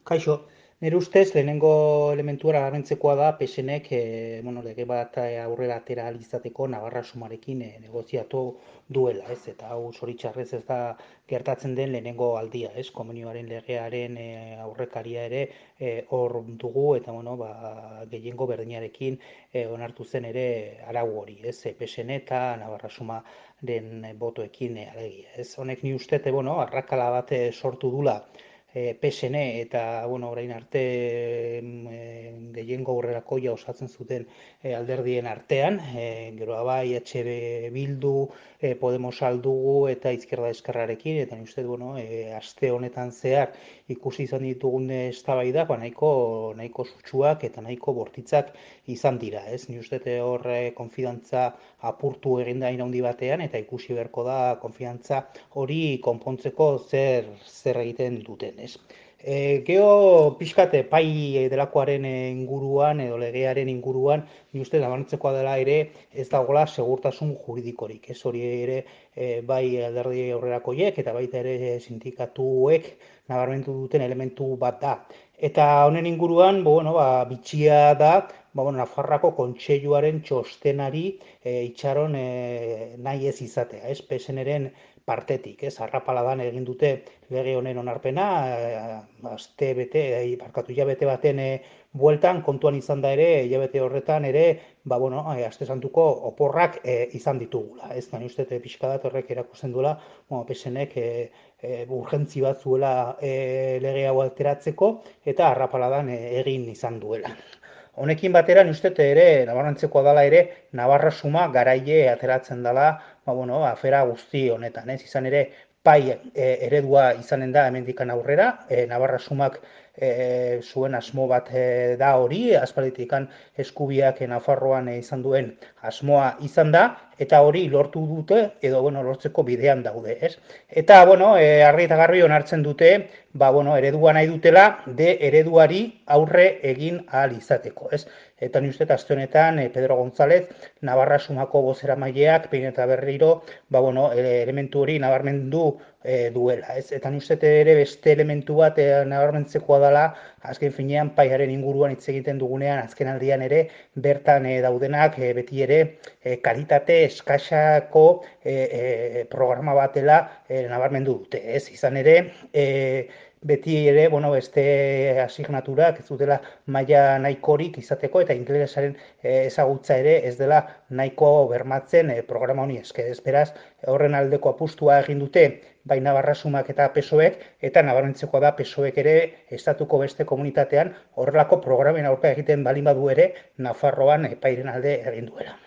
Kaixo, nire ustez lehenengo elementua garrantzitzekoa da PSNek lege bat aurrera atera ahal izateko Navarra Sumarekin negoziatu duela, ez? Eta hau zoritxarrez ez da gertatzen den lehenengo aldia, ez? Komunioaren legearen aurrekaria ere hor dugu eta gehiengo berdinarekin onartu zen ere arau hori, ez? PSN eta Navarra Sumaren botoekin alegia, ez? Honek ni uste, arrakala bat sortu dula PSN eta orain arte gehiengo aurrerakoia osatzen zuten alderdien artean, gero bai EH Bildu, Podemos aldugu eta Izquierda Eskerrarekin, eta ni uste aste honetan zehar ikusi izan ditugun eztabaidak nahiko sutsuak eta nahiko bortitzak izan dira, ez? Ni uste hor konfidantza apurtu egin da handi batean eta ikusi beharko da konfidantza hori konpontzeko zer egiten duten, ez? Geho pixkate pai delakoaren inguruan edo legearen inguruan, ni uste nabarmentzekoa dela ere ez dagoela segurtasun juridikorik. Ez hori ere bai alderdi aurrerakoiek eta baita ere sindikatuek nabarmentu duten elementu bat da. Eta honen inguruan, bitxia da, Nafarrako Kontseiluaren txostenari itxaron nahi ez izatea, ez? PSNren partetik, ez? Arrapaladan egin dute lege honen onarpena, hilabete baten bueltan, kontuan izan da ere, hilabete horretan ere, aste santuko oporrak izan ditugula. Ez da, uste pixka bat horrek erakusten duela, PSNek urgentzi bat zuela lege hau alteratzeko, eta arrapaladan egin izan duela. Honekin batera, ni uste ere, nabarmentzekoa dela ere, Navarra Suma garaile ateratzen dela, afera guzti honetan, ez? Izan ere, pai eredua izanen da hemendikan aurrera, Navarra Sumak zuen asmo bat da hori, aspalditikan eskubiak Nafarroan izan duen asmoa izan da, eta hori lortu dute, edo lortzeko bidean daude, ez? Eta, argi eta garbi onartzen dute, eredua nahi dutela, de ereduari aurre egin ahal izateko, ez? Eta ni uste aste honetan Pedro González, Navarra Sumako bozeramaileak behin eta berriro, elementu hori nabarmendu duela, ez? Eta ni uste ere beste elementu bat nabarmentzekoa dela, azken finean paiaren inguruan hitz egiten dugunean, azken aldian ere bertan daudenak beti ere kalitate eskasako programa batela nabarmendu dute, ez? Izan ere, beti ere, beste asignaturak ez dutela maila nahikorik izateko eta ingelesaren ezagutza ere ez dela nahiko bermatzen programa honi esker. Beraz, horren aldeko apustua egin dute bai Navarra Sumak eta PSOEk, eta nabarmentzekoa da PSOEk ere estatuko beste komunitatean horrelako programen aurka egiten balin badu ere Nafarroan pairen alde egin duela.